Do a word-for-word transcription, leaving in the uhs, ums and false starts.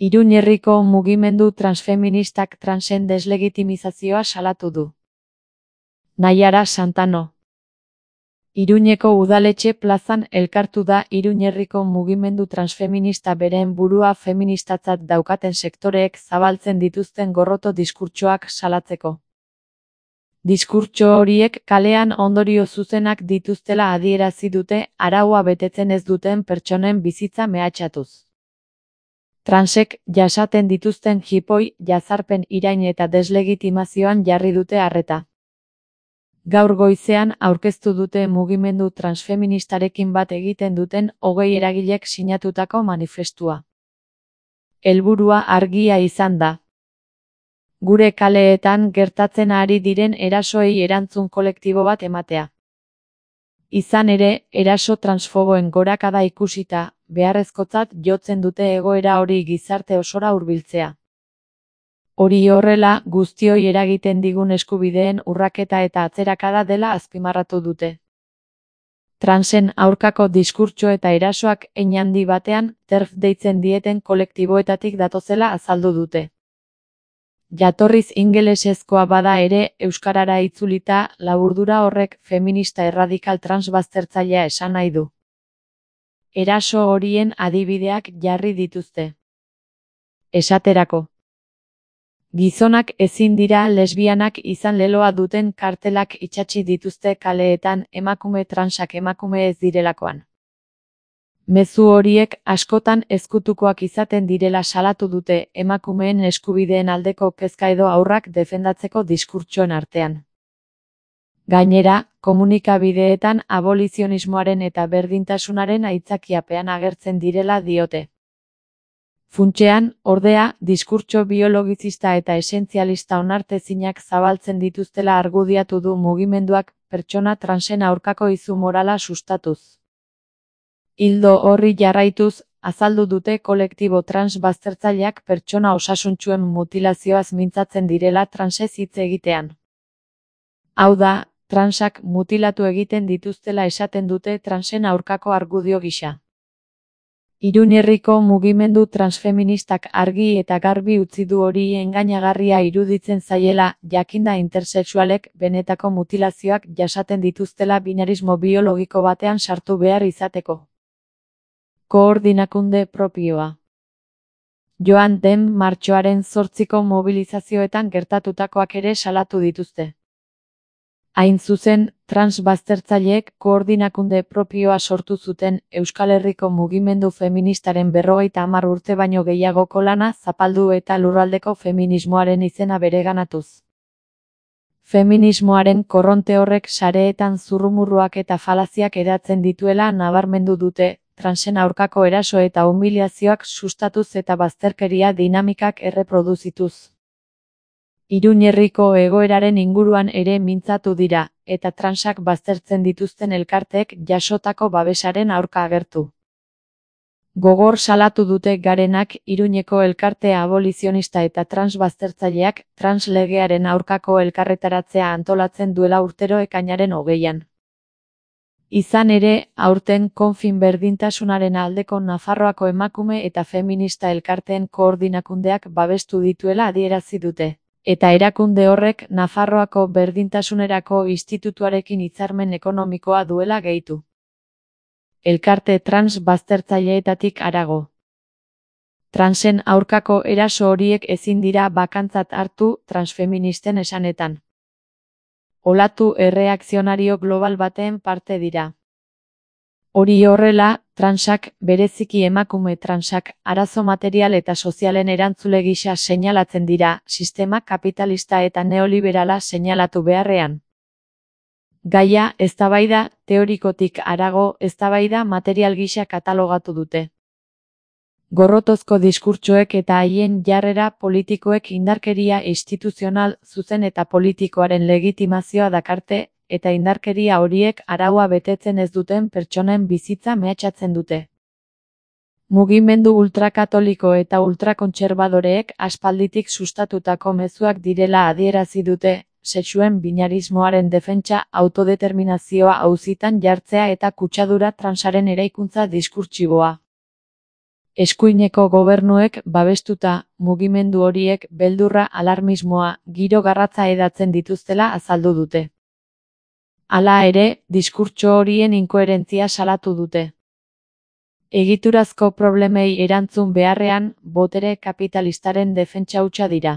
Iruñerriko mugimendu transfeministak transen deslegitimizazioa salatu du. Naiara Santano. Iruñeko udaletxe plazan elkartu da Iruñerriko mugimendu transfeminista beren burua feministatzat daukaten sektoreek zabaltzen dituzten gorroto diskurtsoak salatzeko. Diskurtso horiek kalean ondorio zuzenak dituztela adierazi dute araua betetzen ez duten pertsonen bizitza mehatxatuz. Transek jasaten dituzten jipoi, jazarpen irain eta deslegitimazioan jarri dute arreta. Gaur goizean aurkeztu dute mugimendu transfeministarekin bat egiten duten hogei eragilek sinatutako manifestua. Helburua argia izan da. Gure kaleetan gertatzen ari diren erasoei erantzun kolektibo bat ematea. Izan ere, eraso transfoboen gorakada ikusita, beharrezkotzat jotzen dute egoera hori gizarte osora hurbiltzea. Hori horrela, guztioi eragiten digun eskubideen urraketa eta atzerakada dela azpimarratu dute. Transen aurkako diskurtso eta erasoak hein handi batean, TERF deitzen dieten kolektiboetatik datozela azaldu dute. Jatorriz ingelesezkoa bada ere, euskarara itzulita, laburdura horrek feminista erradikal transbaztertzailea esan nahi du. Eraso horien adibideak jarri dituzte. Esaterako. Gizonak ezin dira lesbianak izan leloa duten kartelak itsatsi dituzte kaleetan emakume transak emakume ez direlakoan. Mezu horiek askotan ezkutukoak izaten direla salatu dute emakumeen eskubideen aldeko kezka edo haurrak defendatzeko diskurtsoen artean. Gainera, komunikabideetan abolizionismoaren eta berdintasunaren aitzakiapean agertzen direla diote. Funtsean, ordea, diskurtso biologizista eta esentzialista onartezinak zabaltzen dituztela argudiatu du mugimenduak pertsona transen aurkako izu morala sustatuz. Ildo horri jarraituz, azaldu dute kolektibo trans baztertzaileak pertsona osasuntsuen mutilazioaz mintzatzen direla transez hitz egitean. Hau da, transak mutilatu egiten dituztela esaten dute transen aurkako argudio gisa. Iruñerriko mugimendu transfeministak argi eta garbi utzi du hori engainagarria iruditzen zaiela, jakinda intersexualek benetako mutilazioak jasaten dituztela binarismo biologiko batean sartu behar izateko. Koordinakunde propioa. Joan den martxoaren zortziko mobilizazioetan gertatutakoak ere salatu dituzte. Hain zuzen, transbaztertzaileek koordinakunde propioa sortu zuten Euskal Herriko mugimendu feministaren berrogeita hamar urte baino gehiagoko lana zapaldu eta lurraldeko feminismoaren izena bereganatuz. Feminismoaren korronte horrek sareetan zurrumurruak eta falaziak hedatzen dituela nabarmendu dute, transen aurkako eraso eta humiliazioak sustatuz eta bazterkeria dinamikak erreproduzituz. Iruñerriko egoeraren inguruan ere mintzatu dira, eta transak baztertzen dituzten elkarteek jasotako babesaren aurka agertu. Gogor salatu dute Garenak Iruñeko elkarte abolizionista eta trans baztertzaileak trans legearen aurkako elkarretaratzea antolatzen duela urtero ekainaren hogeian. Izan ere, aurten konfin berdintasunaren aldeko Nafarroako emakume eta feminista elkarteen koordinakundeak babestu dituela adierazi dute. Eta erakunde horrek Nafarroako berdintasunerako institutuarekin hitzarmen ekonomikoa duela gehitu. Elkarte trans baztertzaileetatik harago. Transen aurkako eraso horiek ezin dira bakantzat hartu transfeministen esanetan. Olatu erreakzionario global baten parte dira. Hori horrela, transak, bereziki emakume transak, arazo material eta sozialen erantzule gisa seinalatzen dira, sistema kapitalista eta neoliberala seinalatu beharrean. Gaia, eztabaida, teorikotik harago, eztabaida material gisa katalogatu dute. Gorrotozko diskurtsoek eta haien jarrera politikoek indarkeria instituzional, zuzen eta politikoaren legitimazioa dakarte, eta indarkeria horiek araua betetzen ez duten pertsonen bizitza mehatxatzen dute. Mugimendu ultrakatoliko eta ultrakontserbadoreek aspalditik sustatutako mezuak direla adierazi dute, sexuen binarismoaren defentsa, autodeterminazioa auzitan jartzea eta kutsadura transaren eraikuntza diskurtsiboa. Eskuineko gobernuek babestuta, mugimendu horiek beldurra, alarmismoa, giro garratza hedatzen dituztela azaldu dute. Hala ere, diskurtso horien inkoherentzia salatu dute. Egiturazko problemei erantzun beharrean, botere kapitalistaren defentsa hutsa dira.